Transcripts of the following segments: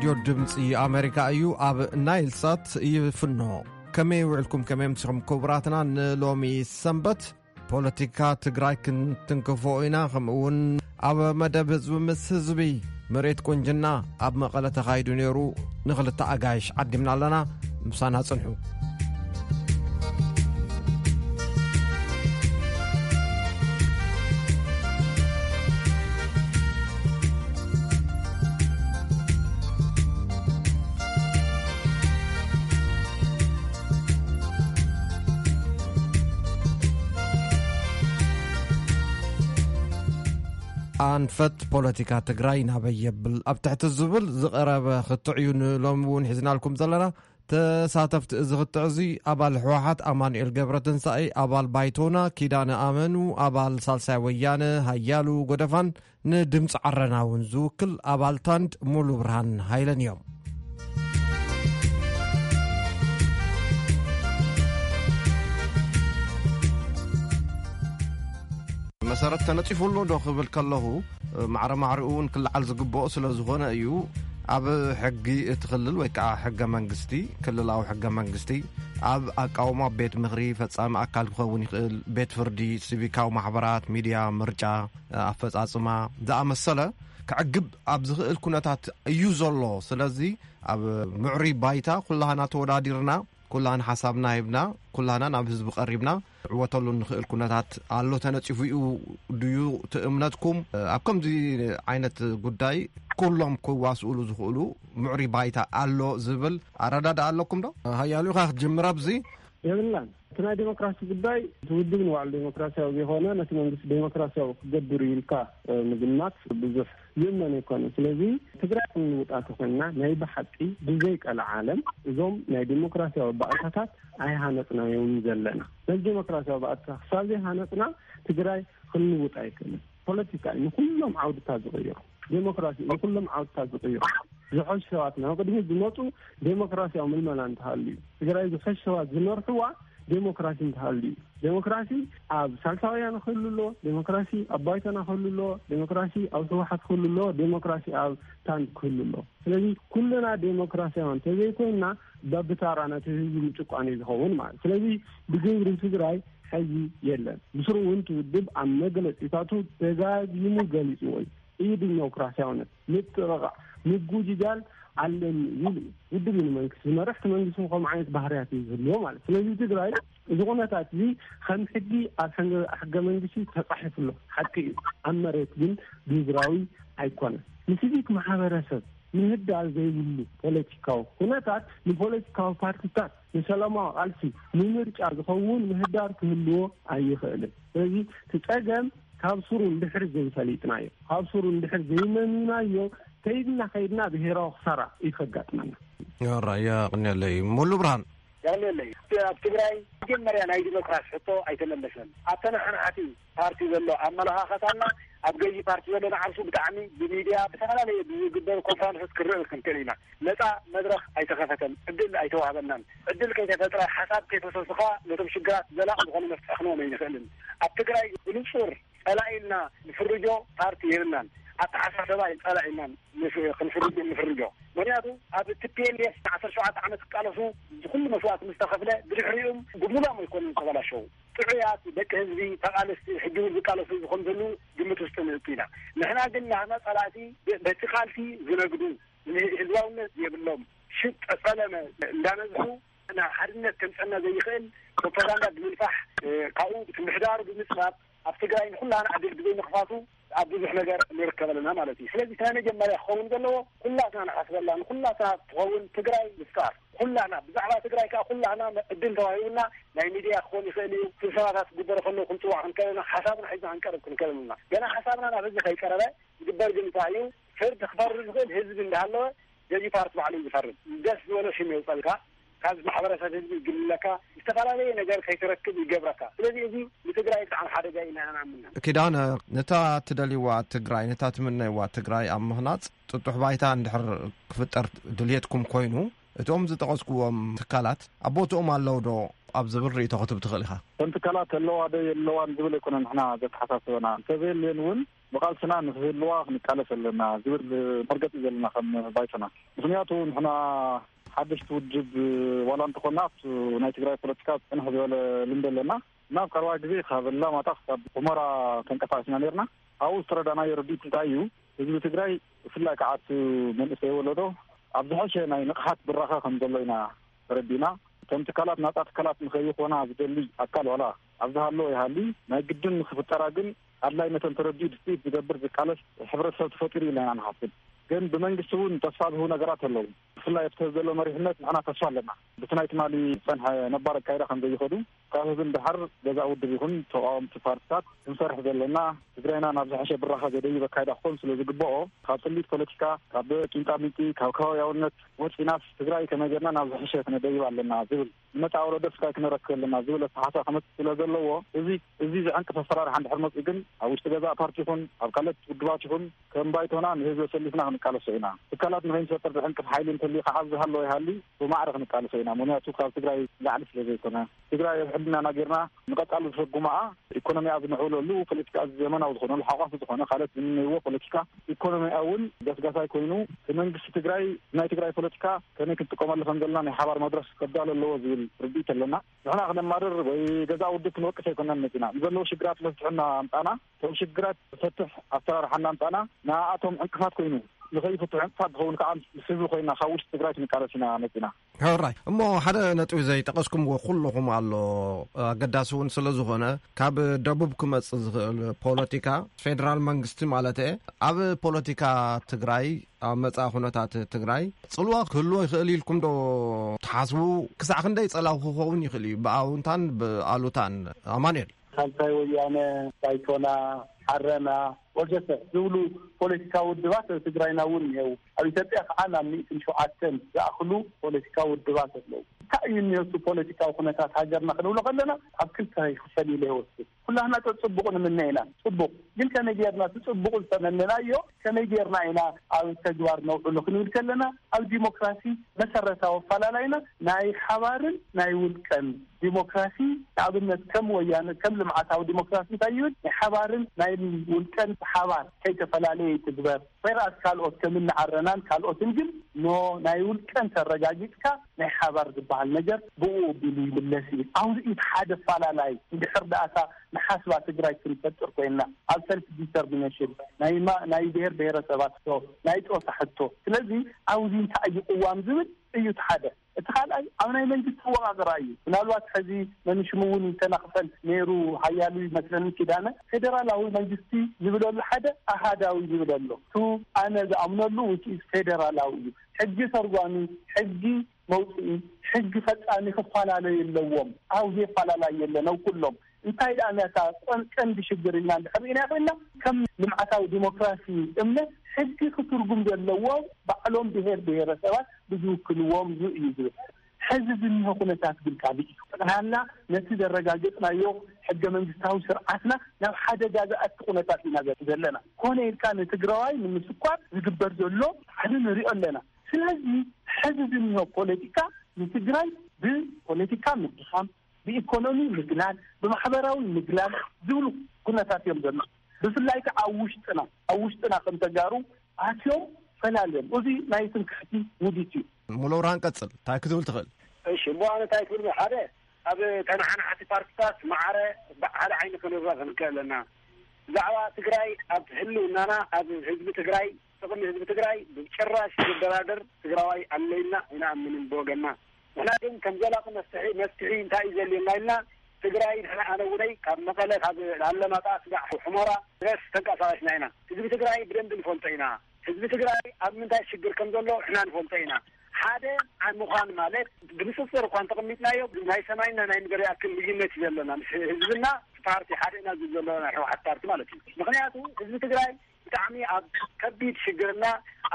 ሬድዮ ድምፂ ኣሜሪካ እዩ። ኣብ ናይል ሳት ይፍኖ። ከመይ ውዕልኩም? ከመይ ኣምሲኹም ክቡራትና? ንሎሚ ሰንበት ፖለቲካ ትግራይ ክንትንክፎ ኢና። ከምኡ እውን ኣብ መደብ ህዝቢ ምስ ህዝቢ፣ ምሬት ቁንጅና ኣብ መቐለ ተኻይዱ ነይሩ። ንኽልተ ኣጋይሽ ዓዲምና ኣለና። ምሳና ጽንሑ። ኣንፈት ፖለቲካ ትግራይ ናበይ የብል ኣብ ትሕቲ ዝብል ዝቐረበ ክትዕ እዩ ንሎሚ እውን ሒዝናልኩም ዘለና። ተሳተፍቲ እዚ ክትዕ እዚ ኣባል ህወሓት ኣማኑኤል ገብረ ትንሳኤ፣ ኣባል ባይቶና ኪዳነ ኣመኑ፣ ኣባል ሳልሳይ ወያነ ሃያሉ ጎደፋን፣ ንድምፂ ዓረና እውን ዝውክል ኣባል ታንድ ሙሉ ብርሃን ሃይለን እዮም። መሰረት ተነፂፉ ኣሎ ዶ ክብል ከለኹ፣ ማዕረ ማዕሪኡ እውን ክለዓል ዝግብኦ ስለ ዝኾነ እዩ። ኣብ ሕጊ እቲ ክልል ወይ ከዓ ሕገ መንግስቲ፣ ክልላዊ ሕገ መንግስቲ፣ ኣብ ኣቃውማ ቤት ምኽሪ፣ ፈጻሚ ኣካል ክኸውን ይኽእል፣ ቤት ፍርዲ፣ ሲቪካዊ ማሕበራት፣ ሚድያ፣ ምርጫ፣ ኣፈጻጽማ ዝኣመሰለ ክዕግብ ኣብ ዝኽእል ኩነታት እዩ ዘሎ። ስለዚ ኣብ ምዕሩይ ባይታ ኩላህና ተወዳዲርና፣ ኩላህና ሓሳብና ሂብና፣ ኩላህና ናብ ህዝቢ ቀሪብና ዕወተሉ ንኽእል ኩነታት ኣሎ ተነጺፉ እዩ ድዩ እቲ እምነትኩም? ኣብ ከምዚ ዓይነት ጉዳይ ኩሎም ክዋስኡሉ ዝኽእሉ ምዕሩይ ባይታ ኣሎ ዝብል ኣረዳድኣ ኣለኩም ዶ? ሃያሉ ኢኻ ክትጅምር ኣብዚ። የብልናን። እቲ ናይ ዴሞክራሲ ጉዳይ እቲ ውድብ ንባዕሉ ዴሞክራሲያዊ ዘይኮነ ነቲ መንግስቲ ዴሞክራሲያዊ ክገብር እዩ ኢልካ፣ እ፣ ምግማት ብዙሕ ዝእመን ኣይኮነን። ስለዚ ትግራይ ክንውጣ ተኮይንና ናይ ብሓቂ ብዘይ ቀልዓለም እዞም ናይ ዴሞክራሲያዊ ባእታታት ኣይሃነጽናዮም ዘለና። ነዚ ዴሞክራሲያዊ ባእታ ክሳብ ዘይሃነጽና ትግራይ ክንውጣ ኣይክእልን። ፖለቲካ እዩ ንኩሎም ዓውድታት ዝቕይሩ። ዴሞክራሲ እዩ ንኩሎም ዓውድታት ዝቕይሩ። ዝሐሽ ሰባት ናብ ቅድሚት ዝመፁ ዴሞክራሲያዊ ምልመላ እንተሃልዩ፣ ትግራይ ዝሐሽ ሰባት ዝመርሕዋ ዴሞክራሲ እንተሃልዩ እዩ። ዴሞክራሲ ኣብ ሳልሳውያን ክህሉ ኣሎ፣ ዴሞክራሲ ኣብ ባይቶና ክህሉ ኣሎ፣ ዴሞክራሲ ኣብ ህወሓት ክህሉ ኣሎ፣ ዴሞክራሲ ኣብ ታንድ ክህሉ ኣሎ። ስለዚ ኩልና ዴሞክራሲያውያን እንተዘይኮይንና፣ በብታራ ነቲ ህዝቢ ምጭቋን እዩ ዝኸውን ማለት። ስለዚ ብግብሪ ትግራይ ሕዚ የለን። ብስሩ እውን እቲ ውድብ ኣብ መግለፂታቱ ደጋጊሙ ገሊፅዎ እዩ። እዩ ዲሞክራሲያውነት፣ ምጥቕቓዕ፣ ምጉጅጃል ኣለኒ ይብል እዩ። ውድብ እዩ ንመንግስቲ ዝመርሕ፣ እቲ መንግስቲ እውን ከምኡ ዓይነት ባህርያት እዩ ዝህልዎ ማለት። ስለዚ ትግራይ እዚ ኩነታት እዚ ከም ሕጊ ኣብ ሕገ፣ ሕገ መንግስቲ ተፃሒፉ ኣሎ፣ ሓቂ እዩ። ኣብ መሬት ግን ግብራዊ ኣይኮነን። ንሲቪክ ማሕበረሰብ ምህዳር ዘይብሉ ፖለቲካዊ ኩነታት ንፖለቲካዊ ፓርቲታት ንሰላማዊ ቃልሲ ንምርጫ ዝኸውን ምህዳር ክህልዎ ኣይኽእልን። ስለዚ እቲ ጸገም ካብ ስሩ እንድሕር ዘይፈሊጥናዮ፣ ካብ ስሩ እንድሕር ዘይመሚናዮ፣ ከይድና ከይድና ብሄራዊ ክሳራ እዩ ከጋጥመና። ራእያ ቅንየለይ ሙሉ ብርሃን። ያለለይ ኣብ ትግራይ መጀመርያ ናይ ዲሞክራሲ ሕቶ ኣይተመለሰን። ኣብ ተነሓናሕቲ ፓርቲ ዘሎ ኣመለኻኸታና ኣብ ገዢ ፓርቲ ዘሎ ንዓርሱ ብጣዕሚ ብሚድያ ብተፈላለየ ብዝግበሩ ኮንፈረንሶች ክርእ ክንክእል ኢና። ነፃ መድረኽ ኣይተኸፈተን፣ ዕድል ኣይተዋህበናን። ዕድል ከይተፈጥረ ሓሳብ ከይፈሰሱኻ ነቶም ሽግራት ዘላቕ ዝኾነ መፍትሒ ክንዎም ኣይንኽእልን። ኣብ ትግራይ ብንጹር ጸላኢ ኢልና ንፍርጆ ፓርቲ የብልናን። ኣተሓሳሰባ እዩ ጸላኢ ኢልና ንፍ-፣ ክንፍርጆ ንፍርጆ። ምኽንያቱ ኣብ ቲ ፒ ኤል ኤፍ ዓሰርተ ሸውዓተ ዓመት ክቃለሱ ዝኹሉ መስዋእቲ ምስ ተኸፍለ ብድሕሪኦም ብሙላም ኣይኮኑን ዝተበላሸው። ጥዑያት ደቂ ህዝቢ ተቓለስቲ ሕጂ እውን ዝቃለሱ ዝኾኑ ዘለዉ ግምት ውስጥ ንእቱ ኢና። ንሕና ግን ናህና ጸላእቲ በቲ ቃልሲ ዝነግዱ፣ ህዝባውነት የብሎም፣ ሽጥ ጸለመ እንዳነዝሑ ንሓድነት ከምጸና ዘይኽእል ፕሮፓጋንዳ ብምንፋሕ፣ እ፣ ካብኡ እቲ ምሕዳሩ ብምጽባብ ኣብ ትግራይ ንኹላና ዕድል ብዘይ ምኽፋቱ ኣብ ብዙሕ ነገር ንርከብ ኣለና ማለት እዩ። ስለዚ እቲ ናይ መጀመርያ ክኸውን ዘለዎ ኩላትና ንሓስበላ፣ ንኩላትና ትኸውን ትግራይ ምፍጣር። ኩላና ብዛዕባ ትግራይ ከኣ ኩላና ዕድል ተዋሂቡና ናይ ሚድያ ክኾን ይኽእል እዩ። ስብሰባታት ክግበሩ ከለዉ ክንጽዋዕ ክንክእል ኢና፣ ሓሳብና ሒዝና ክንቀርብ ክንክእል ኢና። ገና ሓሳብና ናብ ህዝቢ ከይቀረበ ዝግበር ግን እንታይ እዩ? ፍርዲ ክፈርድ ዝኽእል ህዝቢ እንዳሃለወ ገዢ ፓርቲ ባዕሉ እዩ ዝፈርድ። ደስ ዝበሎ ሽም የውፀልካ፣ ካብ ማሕበረሰብ ህዝቢ ይግልለካ፣ ዝተፈላለየ ነገር ከይትረክብ ይገብረካ። ስለዚ እዚ ንትግራይ ብጣዕሚ ሓደጋ ኢና ንኣምን። ኪዳነ፣ ነታ ትደልይዋ ትግራይ፣ ነታ ትምነይዋ ትግራይ ኣብ ምህናፅ ጥጡሕ ባይታ እንድሕር ክፍጠር ድልየትኩም ኮይኑ፣ እቶም ዝጠቐስኩዎም ትካላት ኣብ ቦትኦም ኣለዉ ዶ ኣብ ዝብል ርእይቶ ክትብ ትኽእል ኢኻ? እተን ትካላት ኣለዋ ዶ የለዋን ዝብል ኣይኮነን ንሕና ዘተሓሳስበና። እንተዘየልየን እውን ብቓልስና ንክህልዋ ክንቃለስ ኣለና ዝብል መርገፂ ዘለና ከም ባይቶና። ምኽንያቱ ንሕና ሓደሽቲ ውድብ ዋላ እንተኾና ኣብቲ ናይ ትግራይ ፖለቲካ ፅንሕ ዝበለ ልምዲ ኣለና። ናብ ቀረባ ግዜ ካብ ኣላማጣ ክሳብ ሑመራ ተንቀሳቂስና ነርና። ኣብኡ ዝተረዳናዮ ርድኢት እንታይ እዩ? ህዝቢ ትግራይ ብፍላይ ከዓ እቲ መንእሰይ ወለዶ ኣብ ዝሐሸ ናይ ንቕሓት ብራኸ ከም ዘሎ ኢና ተረዲእና። እቶም ትካላት ናፃ ትካላት ንኸይኾና ዝደሊ ኣካል ዋላ ኣብ ዝሃለዎ ይሃሊ፣ ናይ ግድን ንክፍጠራ ግን ኣድላይነተን ተረዲኡ ድፅኢት ዝገብር ዝቃለስ ሕብረተሰብ ተፈጢሩ ኢልና ኢና ንሓስብ። ግን ብመንግስቲ እውን ተስፋ ዝህቡ ነገራት ኣለዉ። ብፍላይ ኣብቲ ዘሎ መሪሕነት ንሕና ተስፋ ኣለና። ብቲ ናይ ትማሊ ዝፀንሐ ነባር ኣካይዳ ከም ዘይኸዱ ካብ ህዝቢ ንደሓር ገዛ ውድብ ይኹን ተቃወምቲ ፓርቲታት ክንሰርሕ ዘለና፣ ትግራይና ናብ ዝሐሸ ብራኸ ዘደይብ ኣካይዳ ክኾን ስለ ዝግበኦ ካብ ጥሊት ፖለቲካ፣ ካብ ቂንጣ ሚንጢ፣ ካብ ከባቢያውነት ወፂናስ ትግራይ ከመይ ጌርና ናብ ዝሐሸ ክነደይብ ኣለና ዝብል ንመፃ ወለዶ ስጋይ ክነረክብ ኣለና ዝብል ኣተሓሳ ክመፅእ ስለ ዘለዎ እዚ እዚ ዝዕንቅፍ ኣሰራርሓ እንድሕር መፅኡ ግን ኣብ ውሽጢ ገዛ ፓርቲ ይኹን ኣብ ካልኦት ውድባት ይኹን ከም ባይቶና ንህዝቢ ኣሰሊፍና ክንቃለሶ ኢና። ትካላት ንኸይንፈጥር ዝዕንቅፍ ሓይሊ እንተልዩ ከዓ ዝሃለወ ይሃሊ ብማዕረ ክንቃለሶ ኢና። ምክንያቱ ካብ ትግራይ ላዕሊ ስለ ዘይኮነ ትግራይ ኣብ ሕልናና ጌርና ንቐፃሉ ዝፈጉማኣ ኢኮኖሚያ ዝምዕብለሉ ፖለቲካ ዘመናዊ ዝኾነሉ ሓቋፊ ዝኾነ ካልኦት ዝምነይዎ ፖለቲካ ኢኮኖሚያ እውን ገስጋሳይ ኮይኑ መንግስቲ ትግራይ ናይ ትግራይ ፖለቲካ ከመይ ክንጥቀመሉ ከም ዘለና ናይ ሓባር መድረክ ከዳሎ ኣለዎ ዝብል ርድኢት ኣለና። ንሕና ክነማርር ወይ ገዛ ውድብ ክንወቅስ ኣይኮናን መፂና። ንዘለዉ ሽግራት መፍትሒ እናምፃና እቶም ሽግራት ዝፈትሕ ኣሰራርሓ እናምፃና ንኣቶም ዕንቅፋት ኮይኑ ንኸይፍትሑ ዕንቅፋት ዝኸውን ከዓ ምስ ህዝቢ ኮይና ካብ ውሽጢ ትግራይ ክንቃለስ ኢና መፂና። ሕራይ እሞ ሓደ ነጥቢ ዘይጠቐስኩምዎ ኩልኹም ኣሎ ኣገዳሲ እውን ስለ ዝኾነ ካብ ደቡብ ክመፅእ ዝኽእል ፖለቲካ ፌደራል መንግስቲ ማለት እየ ኣብ ፖለቲካ ትግራይ ኣብ መጻኢ ኩነታት ትግራይ ጽልዋ ክህልዎ ይኽእል ኢልኩም ዶ ትሓስቡ? ክሳዕ ክንደይ ጸላው ክኸውን ይኽእል እዩ ብኣውንታን ብኣሉታን? ኣማኑኤል። ሳልሳይ ወያነ፣ ባይቶና፣ ዓረና ወዘተ ዝብሉ ፖለቲካዊ ውድባት ኣብ ትግራይና እውን እኒሀው። ኣብ ኢትዮጵያ ከዓ ናብ ሚእትን ሸውዓተን ዝኣኽሉ ፖለቲካዊ ውድባት ኣለዉ። እንታይ እዩ እኒኦ እቲ ፖለቲካዊ ኩነታት ሃገርና ክንብሎ ከለና ኣብ ክልተ ይኽፈል ኢለ ይወስድ። ኩላህና ጸጽቡቕ ንምነ ኢና። ጽቡቕ ግን ከመይ ጌርና እቲ ጽቡቕ ዝተመነናዮ ከመይ ጌርና ኢና ኣብ ተግባር ነውዕሎ ክንብል ከለና ኣብ ዲሞክራሲ መሰረታዊ ኣፈላላይና ናይ ሓባርን ናይ ውልቀን ዲሞክራሲ ንኣብነት ከም ወያነ ከም ልምዓታዊ ዲሞክራሲ እንታይ ይብል ናይ ሓባርን ናይ ውልቀን ብሓባር ከይተፈላለየ ይትግበር። ወይራስ ካልኦት ከም እንዓረናን ካልኦትን ግን ኖ ናይ ውልቀን ተረጋጊጽካ ናይ ሓባር ዝበሃል ነገር ብኡ ኣቢሉ ይምለስ እዩ። ኣብዚ እቲ ሓደ ኣፈላላይ እንድሕር ደኣታ ንሓስባ ትግራይ ክንፈጥር ኮይንና ኣብ ሰልፍ ዲተርሚኔሽን ናይ ማ ናይ ብሄር ብሄረሰባት ሕቶ ናይ ጦሳ ሕቶ ስለዚ ኣብዚ እንታይ እዩ ቅዋም ዝብል እዩ እቲ ሓደ። እቲ ካልኣይ ኣብ ናይ መንግስቲ ኣወቃቅራ እዩ። ምናልባት ሕዚ መኒሽሙ እውን ይተናኽፈል ነይሩ ሓያሉ ይመስለኒ ኪዳነ ፌደራላዊ መንግስቲ ዝብለሉ ሓደ ኣሃዳዊ ዝብል ኣሎ። ቱ ኣነ ዝኣምነሉ ውፅኢት ፌደራላዊ እዩ። ሕጊ ተርጓሚ ሕጊ መውፅኢ ሕጊ ፈፃሚ ክፈላለዩ ኣለዎም። ኣብ ዘይፈላለዩ የለን ኣብ ኩሎም እንታይ ደኣ ነታ ቀንዲ ሽግር ኢልና እንድሕር ርኢና ኮይንና ከም ልምዓታዊ ዲሞክራሲ እምነት ሕጊ ክትርጉም ዘለዎ ባዕሎም ብሄር ብሄረሰባት ብዝውክልዎም ዩ እዩ ዝብል። ሕዚ ዝኒሆ ኩነታት ግን ካልእ እዩ። ጠቕላላ ነቲ ዘረጋገፅናዮ ሕገ መንግስታዊ ስርዓትና ናብ ሓደጋ ዝኣቲ ኩነታት ኢና ዘለና። ኮነ ኢልካ ንትግራዋይ ንምስኳር ዝግበር ዘሎ ፃዕሪ ንሪኦ ኣለና። ስለዚ ሕዚ ዝኒሆ ፖለቲካ ንትግራይ ብፖለቲካ ምድኻም፣ ብኢኮኖሚ ምግላል፣ ብማሕበራዊ ምግላል ዝብሉ ኩነታት እዮም ዘሎ። ብፍላይ ከዓ ኣብ ውሽጥና ኣብ ውሽጥና ከም ተጋሩ ኣትዮም ፈላልዮም። እዚ ናይ ትምክሕቲ ውዲት እዩ። ሙሉ ብርሃን ቀፅል እንታይ ክትብል ትኽእል? እሺ እሞ ኣነ እንታይ ክብል ሓደ ኣብ ተናሓናሕቲ ፓርቲታት ማዕረ ብሓደ ዓይኒ ክንረእ ክንክእል ኣለና። ብዛዕባ ትግራይ ኣብ ህልውናና ኣብ ህዝቢ ትግራይ ጥቕሚ ህዝቢ ትግራይ ብጭራሽ ዝደራደር ትግራዋይ ኣለይና ኣይንኣምንን ብወገንና። ንሕና ግን ከም ዘላቂ መፍትሒ መፍትሒ እንታይ እዩ ዘልየና ኢልና ትግራይ ንሕና ኣነ እውነይ ካብ መቐለ ካብ ኣለማጣ ስጋዕ ሕሞራ ድረስ ተንቀሳቐስና ኢና። ህዝቢ ትግራይ ብደንቢ ንፈልጦ ኢና። ህዝቢ ትግራይ ኣብ ምንታይ ሽግር ከም ዘሎ ንሕና ንፈልጦ ኢና። ሓደ ምዃን ማለት ብንፅፅር እኳ እንተቐሚጥናዮ ናይ ሰማይና ናይ ምድሪ ያክል ልዩነት እዩ ዘለና ምስ ህዝብና ፓርቲ ሓደ ኢና ዝብል ዘለና ናይ ህወሓት ፓርቲ ማለት እዩ። ምክንያቱ ህዝቢ ትግራይ ብጣዕሚ ኣብ ከቢድ ሽግርና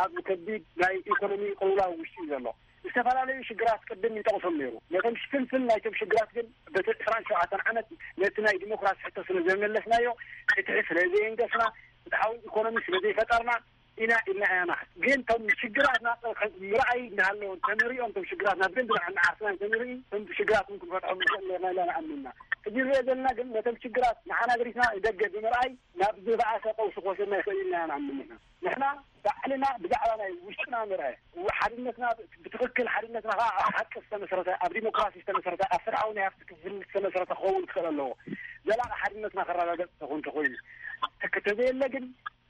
ኣብ ከቢድ ናይ ኢኮኖሚ ቅልውላው ውሽጢ እዩ ዘሎ። ዝተፈላለዩ ሽግራት ቅድም ይጠቕሶም ነይሩ። ነቶም ሽፍንፍን ናይቶም ሽግራት ግን በቲ ዕስራን ሸውዓተን ዓመት ነቲ ናይ ዲሞክራሲ ሕቶ ስለ ዘይመለስናዮ ፍትሒ ስለ ዘየንገስና ፍትሓዊ ኢኮኖሚ ስለ ዘይፈጠርና ኢና ኢልና ኢና ንሓስብ። ግን እቶም ሽግራትና ምርኣይ እናሃለዎ እንተንሪኦም፣ እቶም ሽግራትና ብደንቢ ንዓርስና እንተንርኢ፣ እቶም ሽግራትን ክንፈትሖም ንኽእል ኔርና ኢልና ንኣምን ኢና። ሕጂ ንሪኦ ዘለና ግን ነቶም ሽግራት ንዓና ገዲፍና ንደገ ብምርኣይ ናብ ዝበኣሰ ቀውሲ ክወስደና ይኽእል ኢልና ኢና ንኣምን ኢና። ንሕና ባዕልና ብዛዕባ ናይ ውሽጥና ምርኣይ፣ ሓድነትና ብትኽክል፣ ሓድነትና ከዓ ኣብ ሓቂ ዝተመሰረተ፣ ኣብ ዲሞክራሲ ዝተመሰረተ፣ ኣብ ፍትሓዊ ናይ ሃብቲ ክፍፍል ዝተመሰረተ ክኸውን ክኽእል ኣለዎ። ዘላቂ ሓድነትና ከረጋገጽ ተኾን ተኾይኑ፣ ተዘየለ ግን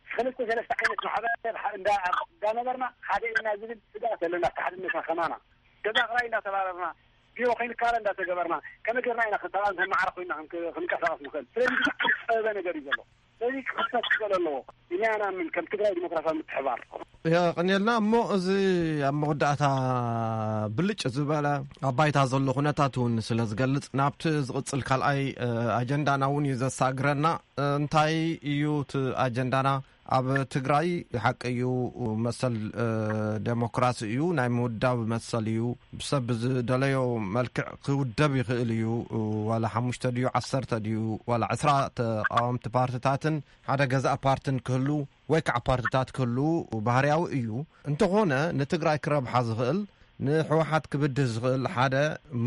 ክልተ ሰለስተ ዓይነት ማሕበረሰብ እንዳ-፣ እንዳነበርና ሓደ ኢና ዝብል ስግኣት ኣለና። ኣብቲ ሓድነትና ከማና ተዛኽራይ እንዳተባረርና፣ ቢሮ ከይንካረ እንዳተገበርና፣ ከመይ ጌርና ኢና ክተባን ተማዕረ ኮይና ክንክ-፣ ክንቀሳቐስ ንኽእል? ስለዚ ብጣዕሚ ዝጸበበ ነገር እዩ ዘሎ። ስለዚ ክኽፈት ክኽእል ኣለዎ። ኢና ንኣምን ከም ትግራይ ዲሞክራሲያዊ ምትሕባር። የቐንየልና። እሞ እዚ ኣብ መወዳእታ ብልጭ ዝበለ ኣብ ባይታ ዘሎ ኩነታት እውን ስለ ዝገልጽ፣ ናብቲ ዝቕጽል ካልኣይ፣ እ፣ ኣጀንዳና እውን እዩ ዘሳግረና። እንታይ እዩ እቲ ኣጀንዳና? ኣብ ትግራይ ሓቂ እዩ፣ መሰል፣ እ፣ ዴሞክራሲ እዩ፣ ናይ ምውዳብ መሰል እዩ። ሰብ ብዝደለዮ መልክዕ ክውደብ ይኽእል እዩ። ዋላ ሓሙሽተ ድዩ፣ ዓሰርተ ድዩ፣ ዋላ ዕስራ ተቃወምቲ ፓርትታትን ሓደ ገዛእ ፓርትን ክህሉ ወይ ከዓ ፓርትታት ክህሉ ባህርያዊ እዩ። እንተኾነ ንትግራይ ክረብሓ ዝኽእል፣ ንህወሓት ክብድህ ዝኽእል ሓደ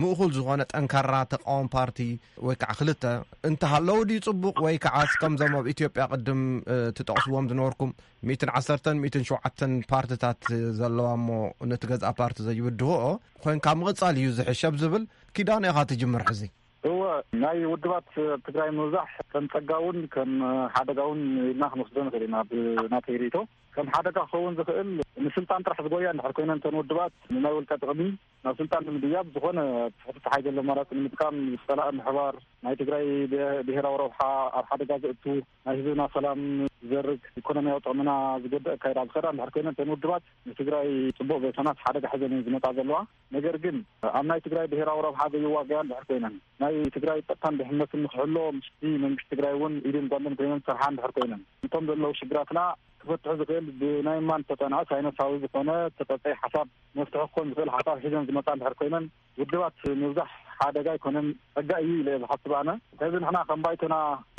ምእኹል ዝኾነ ጠንካራ ተቃዋሚ ፓርቲ ወይ ከዓ ክልተ እንተሃለዉ ድዩ ጽቡቕ? ወይ ከዓስ ከምዞም ኣብ ኢትዮጵያ ቅድም፣ እ፣ ትጠቕስዎም ዝነበርኩም ሚእትን ዓሰርተን ሚእትን ሸውዓተን ፓርትታት ዘለዋ እሞ ነቲ ገዝኣ ፓርቲ ዘይብድህኦ ኮይንካ ምቕጻል እዩ ዝሕሸብ ዝብል ኪዳን ኢኻ ትጅምር ሕዚ? እወ፣ ናይ ውድባት ኣብ ትግራይ ምብዛሕ ከም ጸጋ እውን ከም ሓደጋ እውን ኢልና ክንወስዶ ንኽእል ኢና። ብናተይ ርእይቶ፣ ከም ሓደጋ ክኸውን ዝኽእል፣ ንስልጣን ጥራሕ ዝጎያ እንድሕር ኮይነን እተን ውድባት፣ ንናይ ውልቀ ጥቕሚ ናብ ስልጣን ንምድያብ፣ ዝኾነ ትሕቲ ጸሓይ ዘሎ ኣማራጺ ንምጥቃም፣ ጸላኢ ምሕባር፣ ናይ ትግራይ ብሄ-፣ ብሄራዊ ረብሓ ኣብ ሓደጋ ዘእቱ፣ ናይ ህዝብና ሰላም ዝዘርግ፣ ኢኮኖሚያዊ ጥቕምና ዝጎድእ ኣካይዳ ኣብ ዝኸዳ እንድሕር ኮይነን፣ እተን ውድባት ንትግራይ ጽቡቕ ዘይኮናስ ሓደጋ ሒዘን እየን ዝመጻ ዘለዋ። ነገር ግን ኣብ ናይ ትግራይ ብሄራዊ ረብሓ ዘይዋገያ እንድሕር ኮይነን፣ ናይ ትግራይ ጸጥታን ድሕነትን ንክሕሎ ምስቲ መንግስቲ ትግራይ እውን ኢድን ጓንትን ኮይነን ዝሰርሓ እንድሕር ኮይነን፣ እቶም ዘለዉ ሽግራትና ክፈትሑ ዝኽእል ብናይ ማን ዝተጸንዐ ሳይነሳዊ ዝኾነ ተጸጸይ ሓሳብ መፍትሒ ክኾን ዝኽእል ሓሳብ ሒዘን ዝመጻ እንድሕር ኮይነን፣ ውድባት ምብዛሕ ሓደጋ ኣይኮነን፣ ጸጋ እዩ ኢለ እየ ዝሓስብ ኣነ። ሕዚ ንሕና ከም ባይቶና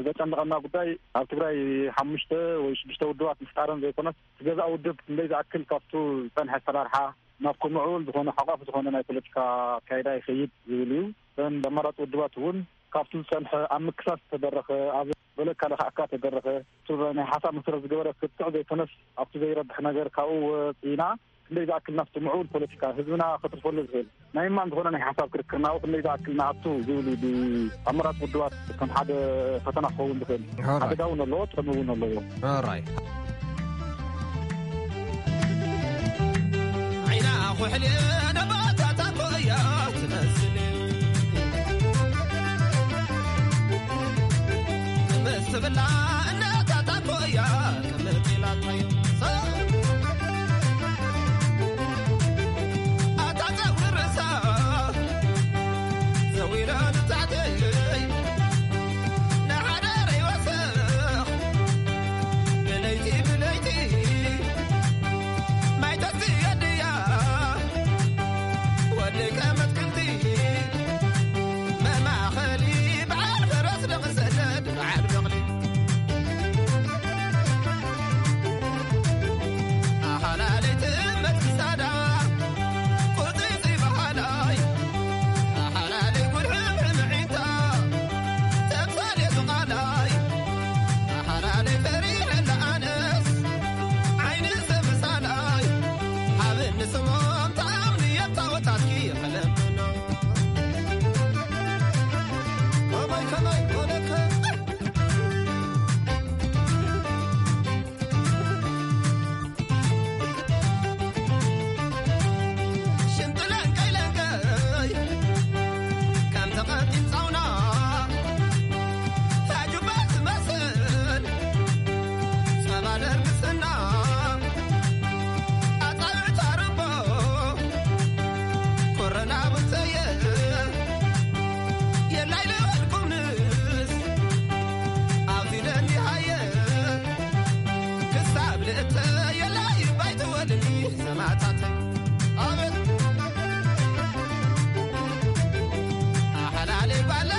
ዘጨንቐና ጉዳይ ኣብ ትግራይ ሓሙሽተ ወይ ሽዱሽተ ውድባት ምፍጣረን ዘይኮነስ፣ እቲ ገዛእ ውድብ ክንደይ ዝኣክል ካብቱ ዝጸንሐ ኣሰራርሓ ናብ ክምዕብል ዝኾነ ሓቋፊ ዝኾነ ናይ ፖለቲካ ኣካይዳ ይኸይድ ዝብል እዩ። እተን ኣማራፂ ውድባት እውን ካብቲ ዝፀንሐ ኣብ ምክሳስ ተደረኸ፣ ኣብ በለካ ለካዕካ ተደረኸ፣ እቱ ናይ ሓሳብ መሰረት ዝገበረ ክትዕ ዘይኮነስ፣ ኣብቲ ዘይረብሕ ነገር ካብኡ ወፂና ክንደይ ዝኣክል ናብቲ ምዕቡል ፖለቲካ ህዝብና ከትርፈሉ ዝኽእል ናይ ማን ዝኾነ ናይ ሓሳብ ክርክር ናብኡ ክንደይ ዝኣክል ንኣቱ ዝብል እዩ። ብኣመራፂ ውድባት ከም ሓደ ፈተና ክኸውን ዝኽእል ሓደጋ እውን ኣለዎ፣ ጥቕሚ እውን ኣለዎ። ራይ ዓይና ኩሕሊ ነባታታ ኮያ ትመስል። ምስ ትብላ እነታታ ኮያ ቅምጥ ኢላታዮ። ኣታ ጸጉሪ ርእሳ ዘዊራ ንታሕተይ፣ ንሓደረይ ወሰኽ ብለይቲ ብለይቲ ማይ ተስትየድያ ወደይ ከመትክልቲ መማኸሊ በዓል ፈረስ ደቕሰደድ በዓል በቕሊ ኣኻላለይ ትእመት ክሳዳ ቁርፅይፅይ በሃላይ ኣሓላለይ ጉድሕምሕምዒታ ተምሳሌቱ ቃላይ ኣሓላለይ ፈሪሐላ ኣነስ ዓይኒ ሰብ ምሳላይ ሃብኒ ስሞም ተኣምኒ የታወታትኪ የኸለምኖ ከማይ ከማይ ኮነከ ሽንቲ ለንቀይ ለንቀይ ከም ተቐጢን ጻውና ታጁባ ትመስል ጸባ ደርግስና ኣጻብዕታ ርቦ ኮረና ብንተየ የላይ ልበልኩምንስ ኣብዚ ደኒሃየ ክሳብ ልእተ የላይ ባይትወልኒ ሰማዕታተይ ኣቤት ኣሓላለይ ጓለ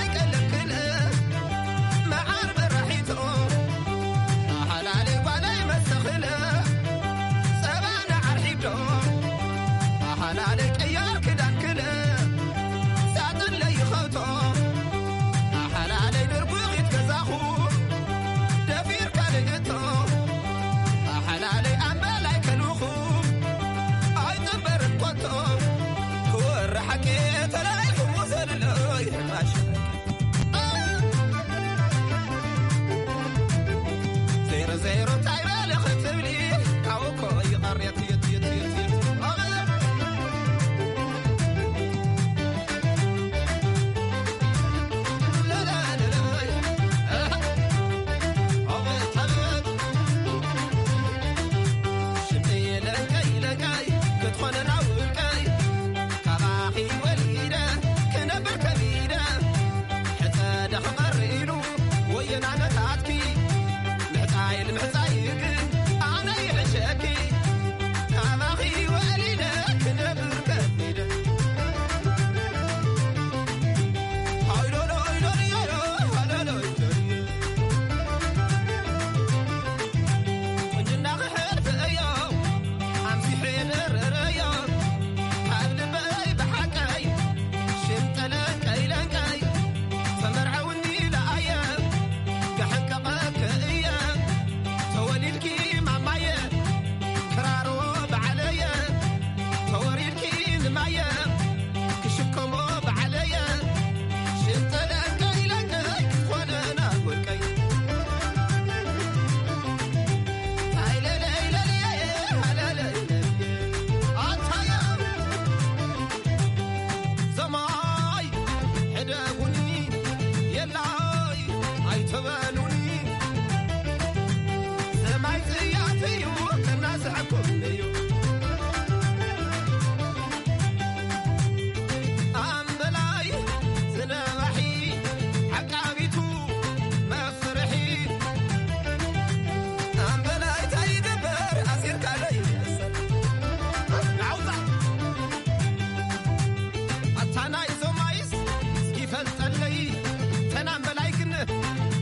ትበሉኒ ሰማይ ጽያፍ እዩ፣ እናስሐኩም እዩ። ኣምበላይ ዝነባሒ ዓቃቢቱ መፍርሒ። ኣምበላይ እንታይ ይገብር ኣሲርካ ለይመሰል ናውዛ ኣታ ናይ ዞማይስ እስኪ ፈልጠለይ ተናም በላይ ግን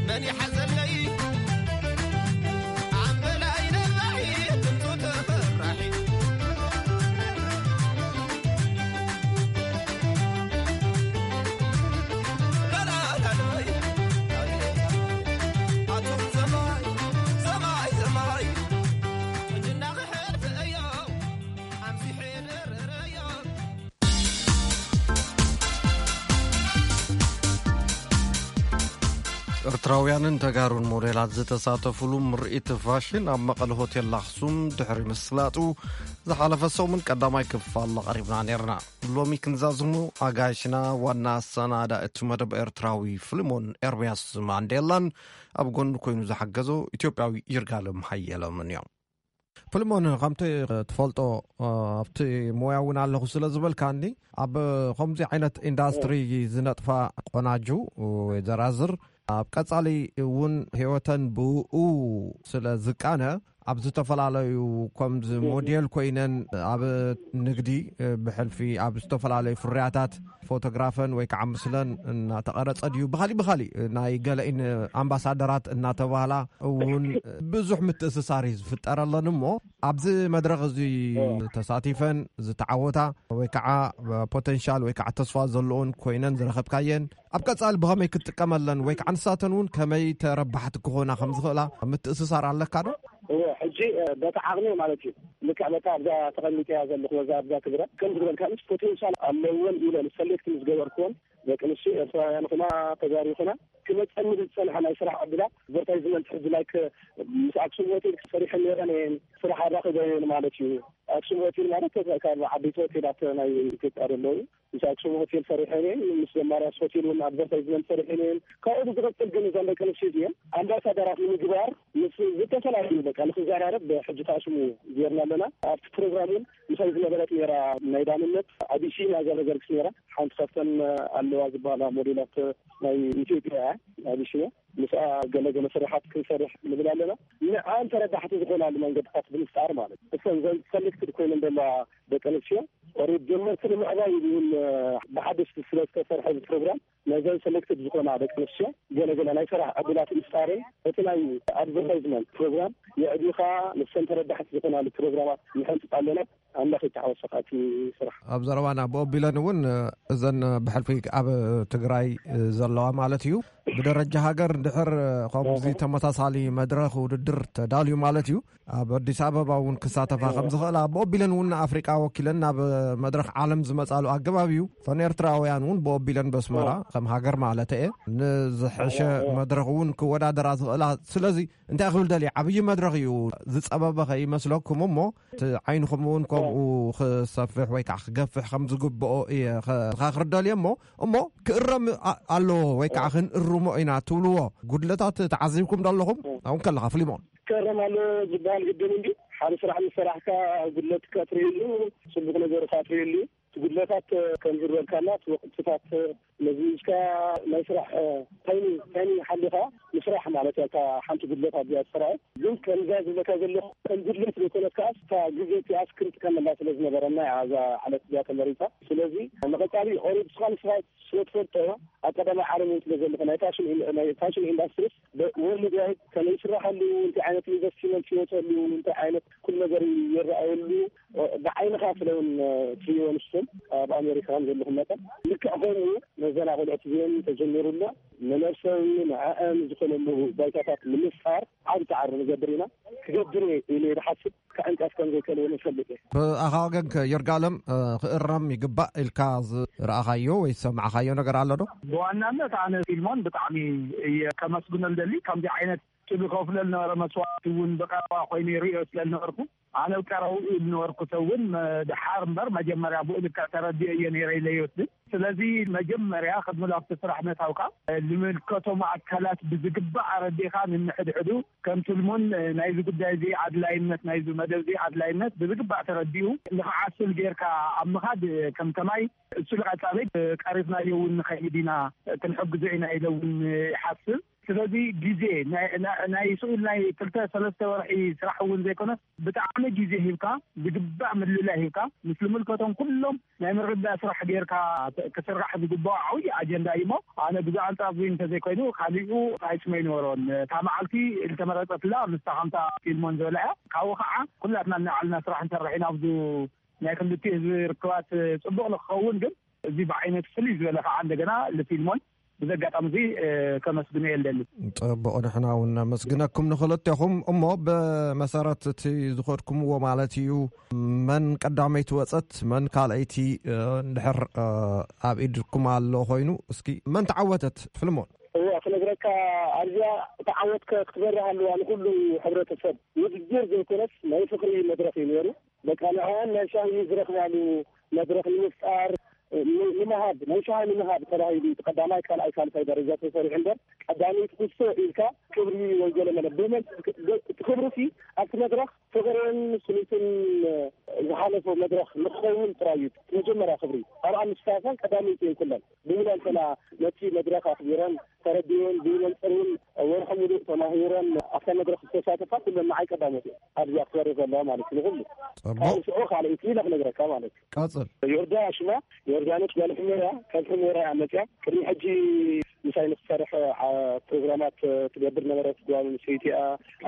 መን ይሓዘለይ ኣምበላይ ነባሒ ድምፁ ተፈራሒ ላላላላይ ኣቱም ዘማይ ዘማይ ዘማይ ሕጅና ክሕልፍ እዮ ኣምሲሐ ደረረዮ ኤርትራውያንን ተጋሩን ሞዴላት ዝተሳተፉሉ ምርኢት ፋሽን ኣብ መቐለ ሆቴል ኣኽሱም ድሕሪ ምስላጡ ዝሓለፈ ሰሙን ቀዳማይ ክፋል ኣቕሪብና ነይርና። ሎሚ ክንዛዝሙ ኣጋይሽና ዋና ኣሰናዳ እቲ መደብ ኤርትራዊ ፍልሞን ኤርምያስ ማንዴላን ኣብ ጎኑ ኮይኑ ዝሓገዞ ኢትዮጵያዊ ይርጋለም ሃየሎምን እዮም። ፕልሞን ከምቲ ትፈልጦ ኣብቲ ሞያ እውን ኣለኹ ስለ ዝበልካኒ ኣብ ከምዚ ዓይነት ኢንዳስትሪ ዝነጥፋ ቆናጁ ወይ ዘራዝር ኣብ ቀጻሊ እውን ህይወተን ብኡ ስለ ዝቃነ ኣብ ዝተፈላለዩ ከምዚ ሞዴል ኮይነን ኣብ ንግዲ ብሕልፊ ኣብ ዝተፈላለዩ ፍርያታት ፎቶግራፈን ወይ ከዓ ምስለን እናተቐረጸ ድዩ ብኻሊእ ብኻሊእ ናይ ገለኢን ኣምባሳደራት እናተባህላ እውን ብዙሕ ምትእስሳር እዩ ዝፍጠረለን እሞ ኣብዚ መድረኽ እዚ ተሳቲፈን ዝተዓወታ ወይ ከዓ ፖቴንሻል ወይ ከዓ ተስፋ ዘለዎን ኮይነን ዝረኸብካየን ኣብ ቀጻሊ ብኸመይ ክትጥቀመለን ወይ ከዓ ንሳተን እውን ከመይ ተረባሕቲ ክኾና ከም ዝኽእላ ምትእስሳር ኣለካ ዶ? እወ፣ ሕጂ በታ ዓቕሚ ማለት እዩ። ልክዕ በታ ኣብዛ ተቐሚጠያ ዘለኹ በዛ ኣብዛ ትግረ ከም ዝበልካ ምስ ፖቴንሻል ኣለወን ኢለ ሰሌክት ምስ ገበርክወን ደቂ ኣንስትዮ ኤርትራውያን ይኹና ተጋሩ ይኹና ክመፀኒ ዝፀንሐ ናይ ስራሕ ዕድላት ኣድቨርታይዝመንት ሕዚ ላይክ ምስ ኣክሱም ሆቴል ሰሪሐን ነይረን እየን ስራሕ ኣራኺበ እየን ማለት እዩ። ኣክሱም ሆቴል ማለት ካብ ዓበይቲ ሆቴላት ናይ ኢትዮጵያ ዘለዉ ምስ ኣክሱም ሆቴል ሰሪሐን እየን ምስ ዘማርያስ ሆቴል እውን ኣድቨርታይዝመንት ሰሪሐን እየን። ካብኡ ብዝቐፅል ግን እዘን ደቂ ኣንስትዮ እዚአን ኣምባሳደራት ንምግባር ምስ ዝተፈላለዩ በቃ ንክዘራረብ ሕጂ ተኣሽሙ ጌርና ኣለና። ኣብቲ ፕሮግራም እውን ምሳይ ዝነበረት ነራ ናይ ዳንነት ኣቢሲና ዘረገርግስ ነራ ሓንቲ ካብተን ኣለዋ ዝበሃላ ሞዴላት ናይ ኢትዮጵያ እያ። ኣቢሲና ምስኣ ገለገለ ስራሓት ክንሰርሕ ንብል ኣለና። ንዓን ተረዳሕቲ ዝኾናሉ መንገድታት ብምፍጣር ማለት እሰን ዘን ሰሌክትድ ኮይነን ዘለዋ ደቂ ኣንስትዮ ኦሬድ ጀመርቲ ንምዕባይ እውን ብሓደሽቲ ስለ ዝተሰርሐ እዚ ፕሮግራም ነዘን ሰሌክትድ ዝኾና ደቂ ኣንስትዮ ገለገለ ናይ ስራሕ ዕድላት ምፍጣርን እቲ ናይ ኣድቨርታይዝመንት ፕሮግራም የዕቢኻ ንሰን ተረዳሕቲ ዝኾናሉ ፕሮግራማት ንሐንፅፅ ኣለና። ኣምላኽ ይተሓወሰኻ እቲ ስራሕ። ኣብ ዘረባና ብኦቢለን እውን እዘን ብሕልፊ ኣብ ትግራይ ዘለዋ ማለት እዩ ብደረጃ ሃገር ድሕር ከምዚ ተመሳሳሊ መድረኽ ውድድር ተዳልዩ ማለት እዩ ኣብ ኣዲስ ኣበባ እውን ክሳተፋ ከም ዝኽእላ ብኦቢለን እውን ንኣፍሪቃ ወኪለን ናብ መድረኽ ዓለም ዝመጻሉ ኣገባብ እዩ ፈን ኤርትራውያን እውን ብኦቢለን በስመራ ከም ሃገር ማለት እየ ንዝሐሸ መድረኽ እውን ክወዳደራ ዝኽእላ ስለዚ እንታይ ክብል ደልየ ዓብዪ መድረኽ እዩ ዝጸበበ ከይመስለኩም እሞ እቲ ዓይንኹም እውን ከምኡ ክሰፍሕ ወይ ከዓ ክገፍሕ ከም ዝግብኦ እየ ከ- ዝኻኽር ደልየ እሞ እሞ ክእረም ኣ- ኣለዎ ወይ ከዓ ክንእርሞ ኢና ትብልዎ ጉድለታት ተዓዚብኩም ዶ ኣለኹም ኣብን ከለኻ ፍሊሞን ክእረም ኣሎ ዝበሃል ግድን እንዲ ሓደ ስራሕ ምስ ሰራሕካ ጉድለትካ ትርእየሉ ፅቡቅ ነገርካ ትርእየሉ እቲ ጉድለታት ከም ዝበልካና እቲ ወቅትታት መዚዝካ ናይ ስራሕ ታይሚንግ ታይሚንግ ሓሊኻ ምስራሕ ማለት እያ እታ ሓንቲ ጉድለት ኣብዚኣ ትስራኤ ግን ከምዛ ዝብለካ ዘለኹ ከም ጉድለት ዘይኮነት ከዓስ እታ ግዜ እቲኣስ ክንጥቀመላ ስለ ዝነበረና እያ እዛ ዕለት እዚኣ ተመሪፃ ስለዚ ንቐፃሊ ኦሬድ ስኻ ንስኻ ስለ ትፈልጦ ኣብ ቀዳማይ ዓለም እውን ስለ ዘለኹ ናይ ፋሽን ኢን- ናይ ፋሽን ኢንዳስትሪስ ወርልድ ዋይድ ከመይ ይስራሓሉ እንታይ ዓይነት ኢንቨስትመንት ይወፀሉ እንታይ ዓይነት ኩሉ ነገር ይረኣየሉ ብዓይንኻ ስለውን ትሪእዎ ንስኹም ኣብ ኣሜሪካ ከም ዘለኹም መጠን ልክዕ ከምኡ ነዘን ኣቆልዑት እዚአን ተጀሚሩ ኣሎ ንነብሰዊ ንዕአን ዝኾነሉ ባይታታት ንምፍጣር ዓብ ፃዕሪ ንገብር ኢና ክገብር እየ ኢለ ይሓስብ ክዕንቀፍ ከም ዘይከልውን ይፈልጥ እየ ብኣኻ ወገን ከ ይርጋለም ክእረም ይግባእ ኢልካ ዝረኣኻዮ ወይ ዝሰማዕኻዮ ነገር ኣሎ ዶ ብዋናነት ኣነ ፊልሞን ብጣዕሚ እየ ከመስግኖ ልደሊ ከምዚ ዓይነት ትብከፍለ ዝነበረ መስዋዕቲ እውን ብቀረባ ኮይኑ ይርእዮ ስለ ዝነበርኩ ኣነ ቀረቡ ዝነበርኩ ሰብ እውን መ-፣ ድሓር እምበር መጀመርያ ብኡ ልክዕ ተረዲኦ እየ ነይረ ኢለ ይወስድ። ስለዚ መጀመርያ ቅድሚ ናብቲ ስራሕ ምእታውካ ልምልከቶም ኣካላት ብዝግባእ ኣረዲእካ፣ ንንሕድሕዱ ከም ትልሙን ናይዚ ጉዳይ እዚ ኣድላይነት፣ ናይዚ መደብ እዚ ኣድላይነት ብዝግባእ ተረዲኡ ንክዓስል ጌርካ ኣብ ምኻድ ከም ከማይ እሱ ንቐጻሊ ቀሪፍናዮ እውን ንኸይድ ኢና፣ ክንሕግዞ ኢና ኢለ እውን ይሓስብ። ስለዚ ግዜ ናይ፣ ናይ፣ ናይ ስኡል ናይ ክልተ ሰለስተ ወርሒ ስራሕ እውን ዘይኮነስ ብጣዕሚ ግዜ ሂብካ፣ ዝግባእ ምልላይ ሂብካ፣ ምስ ልምልከቶም ኩሎም ናይ ምርዳእ ስራሕ ጌርካ ክስራሕ ዝግባኦ ዓብዪ ኣጀንዳ እዩ እሞ፣ ኣነ ብዛዕባ ጻጉሪ እንተዘይኮይኑ ካሊኡ ኣይስመይ ነበሮን። እታ መዓልቲ ዝተመረጸትላ ምስታ ከምታ ፊልሞን ዝበላ እያ። ካብኡ ከዓ ኩላትና እናዓልና ስራሕ ንሰርሕ ኢና። ኣብዚ ናይ ክልቲኡ ህዝቢ ርክባት ጽቡቕ ንክኸውን ግን፣ እዚ ብዓይነቱ ፍልይ ዝበለ ከዓ እንደገና ልፊልሞን ብዚ ኣጋጣሚ እዚ፣ እ፣ ከመስግኖ እየ ልደሊ። ጽቡቕ፣ ንሕና እውን ነመስግነኩም ንክልቴኹም። እሞ ብመሰረት እቲ ዝኸድኩምዎ ማለት እዩ፣ መን ቀዳመይቲ ወጸት፣ መን ካልኣይቲ፣ እ፣ እንድሕር፣ እ፣ ኣብ ኢድኩም ኣሎ ኮይኑ፣ እስኪ መን ተዓወተት? ፍልሞን። እዋ፣ ክነግረካ፣ ኣብዚኣ ተዓወት ከ-፣ ክትበርህ ኣለዋ። ንኩሉ ሕብረተሰብ ውድድር ዘይኮነስ ናይ ፍቅሪ መድረኽ እዩ ነይሩ። በቃ ንዕኣን ናይ ሻሂ ዝረኽባሉ መድረኽ ንምፍጣር፣ ን-፣ ንምሃብ፣ ናይ ሻሂ ንምሃብ ተባሂሉ እቲ ቀዳማይ፣ ካልኣይ፣ ሳልሳይ ደረጃ ተሰሪዑ እምበር፣ ቀዳመይቲ ኩስቶ ኢልካ ክብሪ ወይ ገለ መለ ብመን-፣ እቲ ክብሪ ሲ ኣብቲ መድረኽ ፍቕርን ስኒትን ዝሓለፎ መድረኽ ንክኸውን ጥራይ እዩ። እቲ መጀመርያ ክብሪ ኣብኣ ምስታፈን ቀዳመይቲ እየን ኩለን። ብሙሉ እንተና ነቲ መድረኽ ኣኽቢረን ተረዲኤን ብመንፅር እውን ወርሒ ሙሉእ ተማሂረን ኣብታ መድረኽ ዝተሳተፋ ኩለን ንዓይ ቀዳሞት እየን። ኣብዚ ኣክበር ዘለዋ ማለት እዩ ንኹሉ። ጽቡቕ። ካብ ሽዑ ካልኣይቲ ኢለ ክነግረካ ማለት እዩ። ቀጽል። ዮርዳ ሽማ፣ ዮርዳኖስ ጓል ሕሞራ፣ ካብ ሕሞራ እያ መጽያ። ቅድሚ ሕጂ ምሳይ ንክትሰርሕ፣ ዓ-፣ ፕሮግራማት ትገብር ነበረት ጓል ኣንስተይቲ እያ።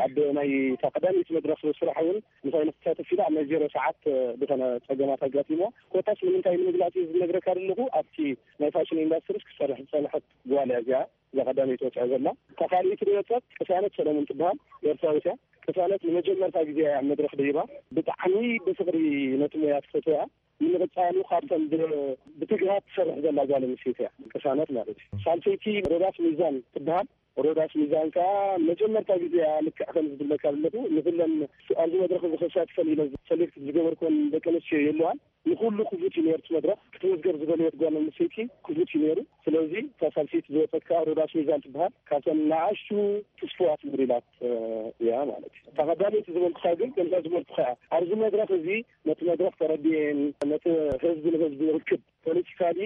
ኣብ ናይ እታ ቀዳመይቲ መድረኽ ስራሕ እውን ምሳይ ንክትሳተፍ ኢላ ኣብ ናይ ዜሮ ሰዓት ዝኾነ ጸገማት ኣጋጢሞ። ኮታስ ንምንታይ ንምግላጽ እዩ ዝነግረካ ዘለኹ፣ ኣብቲ ናይ ፋሽን ኢንዳስትሪ ክሰርሕ ዝጸንሐት ጓል እያ እዚኣ። እዛ ቀዳመይቲ ወፂኣ ዘላ። እታ ካልኣይቲ ዝወፀት ቅሳነት ሰለሙን ትበሃል፣ ኤርትራዊት እያ። ቅሳነት ንመጀመርታ ግዜ እያ ኣብ መድረኽ ደይባ። ብጣዕሚ ብፍቕሪ ነቲ ሞያ ትፈትዎ እያ። ንምቕፃሉ ካብተን ብ-፣ ብትግሃት ትሰርሕ ዘላ ጓል ኣንስተይቲ እያ፣ ቅሳነት ማለት እዩ። ሳልሰይቲ ሮዳስ ሚዛን ትበሃል። ሮዳስ ሚዛን ከኣ መጀመርታ ግዜ እያ፣ ልክዕ ከም ዝብለካ ዘለኹ፣ ንኹለን ኣብዚ መድረኽ እዚ ክሳተፈን ኢለን ሰሌክት ዝገበርኩወን ደቂ ኣንስትዮ የለዋን። ንኹሉ ክፉት እዩ ነይሩ እቲ መድረኽ። ክትምዝገብ ዝደለየት ጓል ኣንስተይቲ ክፉት እዩ ነይሩ። ስለዚ እታ ሳልሰይቲ ዝወፀት ከኣ ሮዳስ ሚዛን ትበሃል። ካብተን ንኣሽቱ ትስፍዋት ሞዴላት፣ እ፣ እያ ማለት እዩ። እታ ቀዳመይቲ ዝበልኩኻ ግን ከምዛ ዝበልኩኻ እያ። ኣብዚ መድረኽ እዚ ነቲ መድረኽ ተረዲኤን ነቲ ህዝቢ ንህዝቢ ርክብ ፖለቲካሊ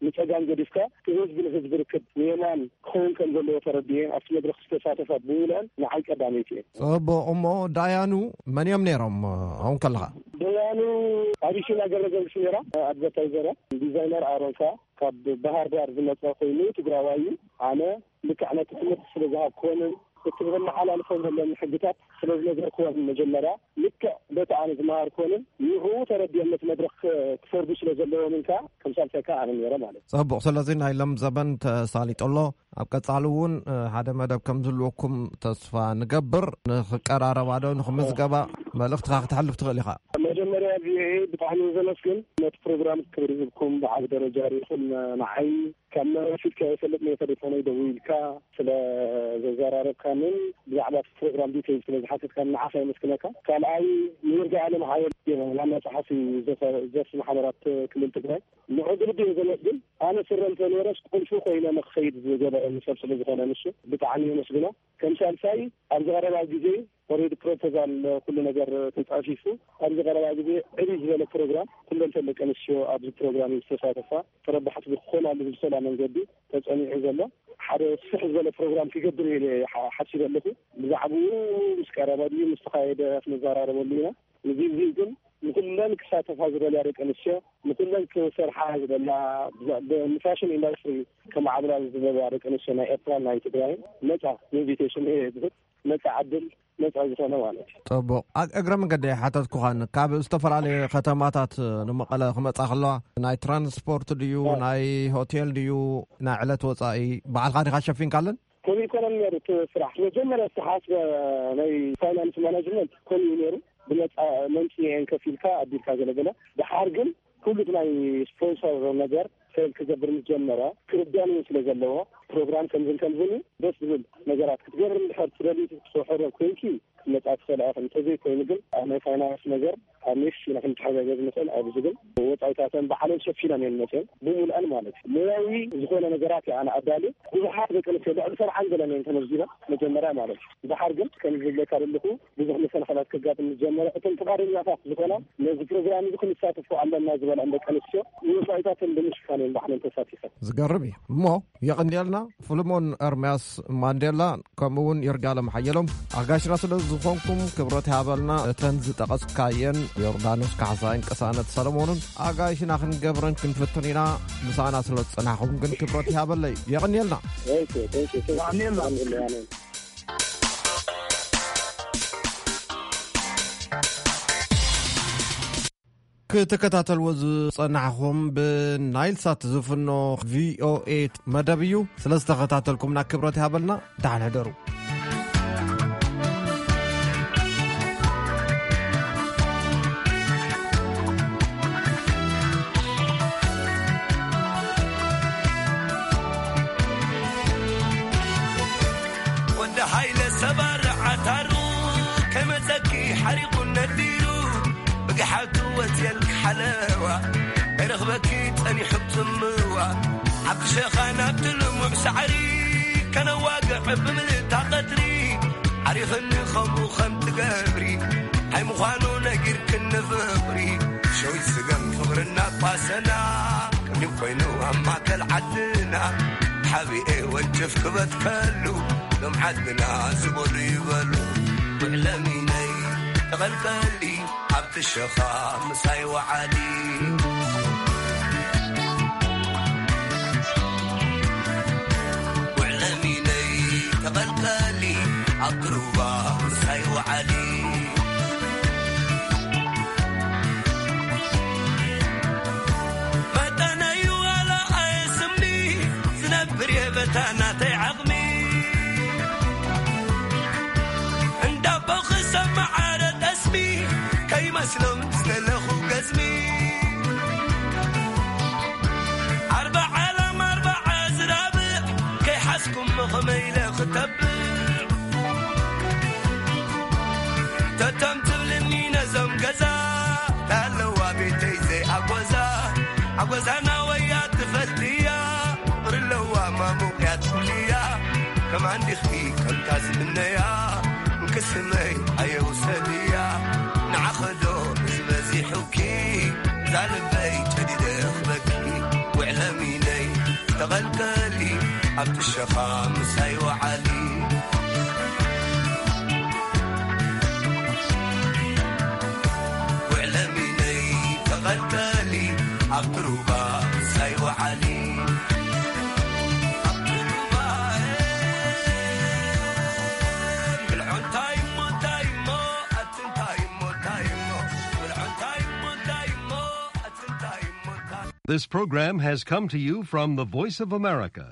ንጸጋም ገዲፍካ እቲ ህዝቢ ንህዝቢ ርክብ ንየማን ክኸውን ከም ዘለዎ ተረዲኤን ኣብቲ መድረኽ ዝተሳተፋ ብምሉአን ንዓይ ቀዳመይቲ እየን። ጽቡቕ። እሞ ዳያኑ መን እዮም ነይሮም? ኣብኡ ከለኻ። ዳያኑ ኣቢሲና ገብረገርግስ ነይራ፣ ኣድቨርታይዘር እያ። ዲዛይነር ኣሮን ከኣ ካብ ባህር ዳር ዝመጸ ኮይኑ ትግራዋይ እዩ። ኣነ ልክዕ ነቲ ትምህርቲ ስለ ዝሃብክወንን እቲ ብመሓላልፎም ዘለኒ ሕግታት ስለ ዝነገርክወን መጀመርያ ልክዕ በቲ ኣነ ዝመሃርክወንን ንዕኡ ተረዲኦም ነቲ መድረኽ ክ-፣ ክፈርዱ ስለ ዘለዎምን ከኣ ከም ሳልሳይ ከኣ ኣነ ነይረ ማለት እዩ። ጽቡቕ። ስለዚ ናይ ሎም ዘበን ተሳሊጡ ኣሎ። ኣብ ቀጻሊ እውን፣ እ፣ ሓደ መደብ ከም ዝህልወኩም ተስፋ ንገብር። ንኽቀራረባ ዶ ንኽምዝገባ መልእኽትኻ ክተሕልፍ ትኽእል ኢኻ። መጀመርያ ቪኦኤ ብጣዕሚ ዘመስግን፣ ነቲ ፕሮግራም ክብሪ ሂብኩም ብዓቢ ደረጃ ርኢኹም ንዓይ ካብ መረብ ፊትካ የፈልጥ ናይ ተሌፎነይ ደዊልካ ስለ ዘዘራረብካንን ብዛዕባ እቲ ፕሮግራም ዲቴይል ስለ ዝሓተትካን ንዓኻ የመስግነካ። ካልኣይ ንይርጋ ኣለም ሓወል ዋና ጸሓፊ ዘፈ-፣ ዘርፊ ማሕበራት ክልል ትግራይ ንዑ ብልቢ እየ ዘመስግን። ኣነ ስረ እንተ ነይረስ ቁልፊ ኮይነ ንክኸይድ ዝገበረኒ ሰብ ስለ ዝኾነ ንሱ ብጣዕሚ የመስግኖ። ከም ሳልሳይ ኣብዚ ቀረባ ግዜ ኦሬዲ ፕሮፖዛል ኩሉ ነገር ተጻፊፉ ኣብዚ ቀረባ ግዜ ዕብይ ዝበለ ፕሮግራም ኩለን ደቂ ኣንስትዮ ኣብዚ ፕሮግራም ዝተሳተፋ ተረባሕቲ ብክኾናሉ ብዝሰላ መንገዲ ተጸኒዑ ዘሎ ሓደ ስፍሕ ዝበለ ፕሮግራም ክገብር ኢለ ሓ-፣ ሓሲበ ኣለኹ። ብዛዕባኡ ምስ ቀረበ ድዩ ምስ ተኻየደ ክንዘራረበሉ ኢና። እዚ፣ እዚ ግን ንኩለን ክሳተፋ ዝደልያ ደቂ ኣንስትዮ፣ ንኩለን ክሰርሓ ዝደልያ፣ ብዛ-፣ ብ-፣ ንፋሽን ኢንዳስትሪ ከማዕብላ ዝደልያ ደቂ ኣንስትዮ ናይ ኤርትራን ናይ ትግራይን ነጻ ኢንቪቴሽን እየ ዝህብ። ነጻ ዕድል፣ ነጻ ዝኾነ ማለት እዩ። ጽቡቕ። ኣ-፣ እግረ መንገዲ ሓተትኩኻን፣ ካብ ዝተፈላለየ ከተማታት ንመቐለ ክመጻ ከለዋ ናይ ትራንስፖርት ድዩ፣ እ። ናይ ሆቴል ድዩ፣ ናይ ዕለት ወጻኢ ባዕልኻ ዲኻ ሸፊንካለን? ከምኡ ኣይኮነን ነይሩ እቲ ስራሕ። መጀመርያ ዝተሓስበ ናይ ፋይናንስ ማናጅመንት ከምኡ እዩ ነይሩ። ብነጻ መምጽኢ እየን ከፊልካ ኣቢልካ ገለ ገለ። ደሓር ግን ኩሉ እቲ ናይ ስፖንሰር ነገር ፌል ክገብር ምስ ጀመረ፣ ክርዳን እውን ስለ ዘለዎ፣ ፕሮግራም ከምዝን ከምዝን እዩ፣ ደስ ዝብል ነገራት ክትገብር እንድሕር ትደሊ፣ ትሕረር ኮይንኪ፣ ክመጻ ትኽእል እያ። እንተዘይኮይኑ ግን ኣብ ናይ ፋይናንስ ነገር ኣብ ኔክስት ኢና ክንተሓጋገዝ ንኽእል። ኣብዚ ግን ወጻኢታተን ባዕለን ሸፊነን እየን መጽየን ብምሉኣን ማለት እዩ። ሞያዊ ዝኾነ ነገራት እየ ኣነ ኣዳልየ። ብዙሓት ደቂ ኣንስትዮ ልዕሊ ሰብዓን ገለን እየን ተመዝጊበን መጀመርያ ማለት እዩ። ድሓር ግን ከም ዝብለካ ዘለኹ ብዙሕ መሰናኽላት ከጋጥም ዝጀመረ። እቶም ፍቓደኛታት ዝኾና ነዚ ፕሮግራም እዚ ክንሳተፎ ኣለና ዝበላ ደቂ ኣንስትዮ ንወጻኢታተን ብምሽፋን እየን ባዕለን ተሳቲፈን። ዝገርም እዩ እሞ የቐንየልና ፍልሞን ኤርምያስ ማንዴላ ከምኡ እውን ይርጋለም ሓየሎም ኣጋሽና ስለ ዝኾንኩም ክብረት ይሃበልና። እተን ዝጠቐስካየን ዮርዳኖስ ካሕሳይን ቅሳነት ሰለሞንን ኣጋይሽና ክንገብረን ክንፍትን ኢና። ምሳና ስለ ዝጸናሕኩም ግን ክብረት ይሃበለይ። የቐንየልና። Thank you, thank you, thank you. የቐንየልና። የቐንየልና። ክትከታተልዎ ዝጸናሕኹም ብናይል ሳት ዝፍኖ ቪኦኤ መደብ እዩ። ስለ ዝተኸታተልኩምና ክብረት ይሃበልና። ደሓን ሕደሩ። ወዲ ሃይለ ሰባር ዓታሩ ከመዘኪ ሓሪቑ ነዲሩ ብግሓቱ ወፅየልክ ሓለዋ ኣይረኽበኪ ጸኒሑ ጽምዋ ኣብቲ ሸኻ ናብቲ ልሙዕ ሳዕሪ ከነዋግዕ ብምልእታ ቀትሪ ዓሪኽኒ ከምኡ ከም ትገብሪ ኣይምዃኑ ነጊርክኒ ፍቕሪ ሸዊት ስገም ፍቕርና ቋሰና ቅድም ኮይኑ ኣብ ማእከል ዓድና ሓቢኤ ወንጭፍ ክበትከሉ ሎም ዓድና ዝበሉ ይበሉ ውዕለሚነይ ተቐልቀሊ ኣብቲ ሸኻ ምሳይ ወዓሊ ውዕለሚነይ ተቐልቀሊ ኣብቲ ሩባ ምሳይ ወዓሊ መጠነይ ዋላ ኣየስምኒ ዝነብር የበታ ናተይ ዓቕሚ እንዳቦ ክሰማዓረ ጠስሚ ከይመስሎም ዝደለኹ ገዝሚ ኣርባዓ ላም ኣርባዓ ዝራብዕ ከይሓዝኩም መኸመ ኢለ ክተብዕ ተቶም ትብልኒ ነዞም ገዛ ታለዋ ቤተይ ዘይኣጎዛ ኣጎዛና ወያ ትፈልጥያ ፍቕሪ ኣለዋ ማሙቕያ ትብልያ ከማን ዲኽኪ ከምታ ዝምነያ እንክስመይ ኣየውሰድያ ንዓኸዶ እዚ በዚሑኪ ዛልበይ ጨዲደ ክበኪ ውዕለሚነይ ተቐልቀሊ ኣብቲ ሸኻ ምሳይ ወዓሊ ውዕለሚነይ ተቐልቀሊ ኣብቲ ሩባ ምሳይ ወዓሊ ኣብቲ ሩባ ብልዖ እንታይ እሞ እንታይ እሞ ኣቲ እንታይ እሞ እንታይ እሞ ብልዖ እንታይ እሞ እንታይ እሞ ኣቲ እንታይ እሞ እንታይ This program has come to you from the Voice of America,